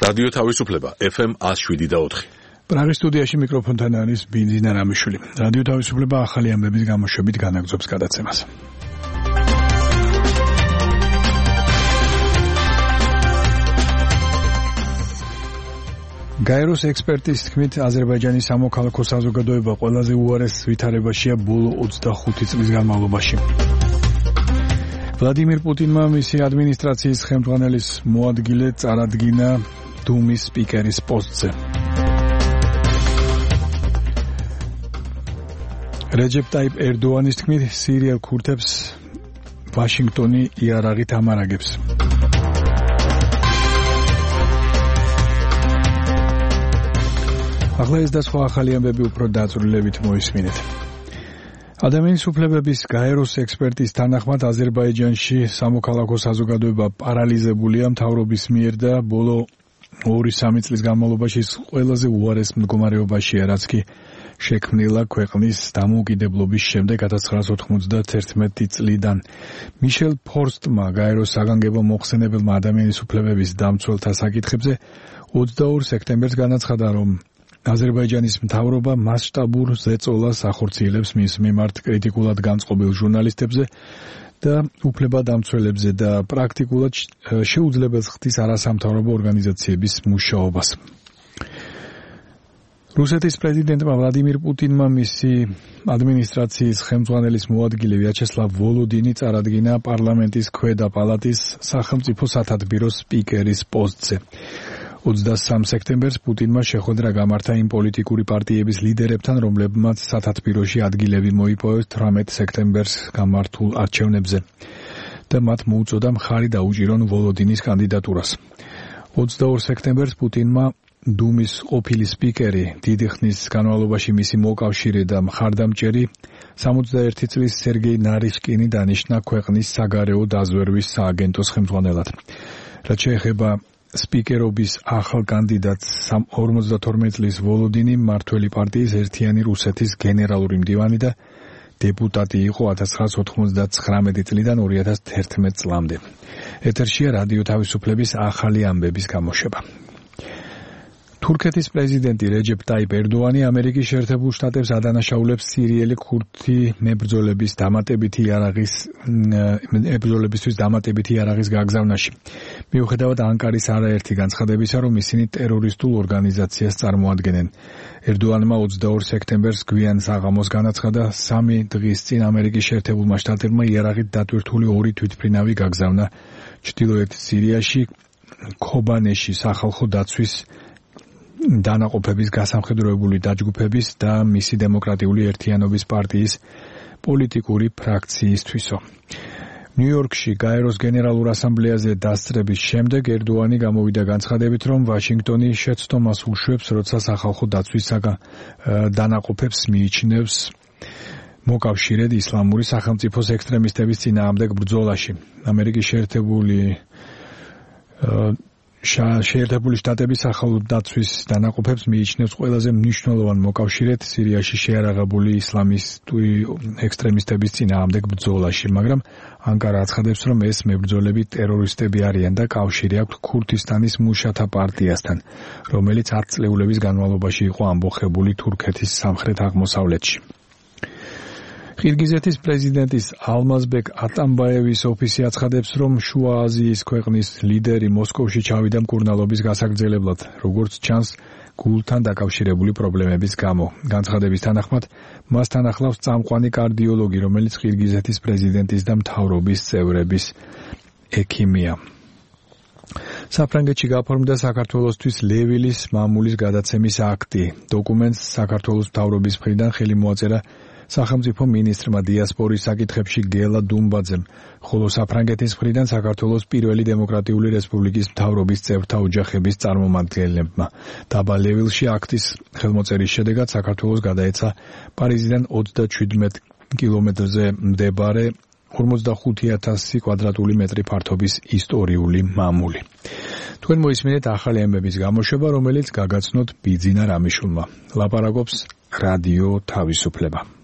რადიო თავისუფლება FM 107.4. პრაღის სტუდიაში მიკროფონთან არის ბინძინა რამიშვილი. რადიო თავისუფლება ახალი ამბების გამოშვებით განაგრძობს გადაცემას. გაეროს ექსპერტის თქმით, აზერბაიჯანის სამოქალაქო საზოგადოება ყველაზე უარეს ვითარებაშია ბოლო 25 წლის განმავლობაში. ვლადიმირ პუტინმა მისი ადმინისტრაციის ხელმძღვანელის მოადგილე წარადგინა დუმის სპიკერის პოსტზე. რეჯეპ ტაიპ ერდოანის თქმით, სირიელ ქურთებს ვაშინგტონი იარაღით ამარაგებს. ახლა ეს და სხვა ახალი ამბები უფრო დაწვრილებით მოისმინეთ. ადამიანის უფლებების გაეროს ექსპერტის თანახმად აზერბაიჯანში სამოქალაქო საზოგადოება პარალიზებულია მთავრობის მიერ და ბოლო 2-3 წლის განმავლობაში ყველაზე უარეს მდგომარეობაშია, რაც კი შექმნილა ქვეყნის დამოუკიდებლობის შემდეგ 1991 წლიდან. მიშელ ფორსტმა, გაეროს საგანგებო მოხსენებელმა ადამიანის უფლებების დამცველთა საკითხებზე 22 სექტემბერს განაცხადა, რომ აზერბაიჯანის მთავრობა მასშტაბურ ზეწოლას ახორციელებს მის მიმართ კრიტიკულად განწყობილ ჟურნალისტებზე და უფლებადამცველებზე და პრაქტიკულად შეუძლებელს ხდის არასამთავრობო ორგანიზაციების მუშაობას. რუსეთის პრეზიდენტმა ვლადიმირ პუტინმა მისი ადმინისტრაციის ხელმძღვანელის მოადგილე ვიაჩესლავ ვოლოდინი წარადგინა პარლამენტის ქვედა პალატის სახელმწიფო სათათბიროს სპიკერის პოსტზე. 23 სექტემბერს პუტინმა შეხვედრა გამართა იმ პოლიტიკური პარტიების ლიდერებთან, რომლებმაც სათათბიროში ადგილები მოიპოვეს 18 სექტემბერს გამართულ არჩევნებზე და მათ მოუწოდა მხარი დაუჭირონ ვოლოდინის კანდიდატურას. 22 სექტემბერს პუტინმა დუმის ყოფილი სპიკერი, დიდი ხნის განმავლობაში მისი მოკავშირე და მხარდამჭერი 61 წლის სერგეი ნარიშკინი დანიშნა ქვეყნის საგარეო დაზვერვის სააგენტოს ხელმძღვანელად. რაც შეეხება სპიკერობის ახალ კანდიდატს 52 წლის ვოლოდინი მმართველი პარტიის ერთიანი რუსეთის გენერალური მდივანი და დეპუტატი იყო 1999 წლიდან 2011 წლამდე. ეთერშია რადიო თავისუფლების ახალი ამბების გამოშვება. თურქეთის პრეზიდენტი რეჯეპ ტაიპ ერდოანი ამერიკის შეერთებულ შტატებს ადანაშაულებს სირიელი ქურთი მებრძოლებისთვის დამატებითი იარაღის გაგზავნაში. მიუხედავად ანკარის არაერთი განცხადებისა, რომ ისინი ტერორისტულ ორგანიზაციას წარმოადგენენ. ერდოანმა 22 სექტემბერს გვიან საღამოს განაცხადა, 3 დღის წინ ამერიკის შეერთებულმა შტატებმა იარაღით დატვირთული 2 თვითმფრინავი გაგზავნა ჩრდილოეთ სირიაში ქობანეში სახალხო დაცვის დანაყოფების გასამხედროებული დაჯგუფების და მისი დემოკრატიული ერთიანობის პარტიის პოლიტიკური ფრაქციისთვისო. ნიუ-იორკში გაეროს გენერალურ ასამბლეაზე დასწრების შემდეგ ერდოანი გამოვიდა განცხადებით, რომ ვაშინგტონი შეცდომას უშვებს, როცა სახალხო დაცვის დანაყოფებს მიიჩნევს მოკავშირედ ისლამური სახელმწიფოს ექსტრემისტების წინააღმდეგ ბრძოლაში. ამერიკის შეერთებული შტატების სახალხო დაცვის დანაყოფებს მიიჩნევს ყველაზე მნიშვნელოვან მოკავშირედ სირიაში შეიარაღებული ისლამისტური ექსტრემისტების წინააღმდეგ ბრძოლაში, მაგრამ ანკარა აცხადებს, რომ ეს მებრძოლები ტერორისტები არიან და კავშირი აქვთ ქურთისტანის მუშათა პარტიასთან, რომელიც 10 წლეულების განმავლობაში იყო ამბოხებული თურქეთის სამხრეთ აღმოსავლეთში. ყირგიზეთის პრეზიდენტის ალმაზბეკ ატამბაევის ოფისი აცხადებს, რომ შუა აზიის ქვეყნის ლიდერი მოსკოვში ჩავიდა მკურნალობის გასაგრძელებლად, როგორც ჩანს გულთან დაკავშირებული პრობლემების გამო. განცხადების თანახმად, მასთან ახლავს წამყვანი კარდიოლოგი, რომელიც ყირგიზეთის პრეზიდენტის და მთავრობის წევრების ექიმია. საფრანგეთში გაფორმდა საქართველოსთვის ლევილის მამულის გადაცემის აქტი. დოკუმენტს საქართველოს მთავრობის მხრიდან ხელი მოაწერა სახელმწიფო მინისტრმა დიასპორის საკითხებში გელა დუმბაძემ, ხოლო საფრანგეთის მხრიდან საქართველოს პირველი დემოკრატიული რესპუბლიკის მთავრობის წევრთა ოჯახების წარმომადგენლებმა. დაბა ლევილში აქტის ხელმოწერის შედეგად საქართველოს გადაეცა პარიზიდან 27 კილომეტრზე მდებარე 45,000 კვადრატული მეტრი ფართობის ისტორიული მამული. თქვენ მოისმინეთ ახალი ამბების გამოშვება, რომელიც გაგაცნოთ ბიძინა რამიშვილმა. ლაპარაკობს რადიო თავისუფლება.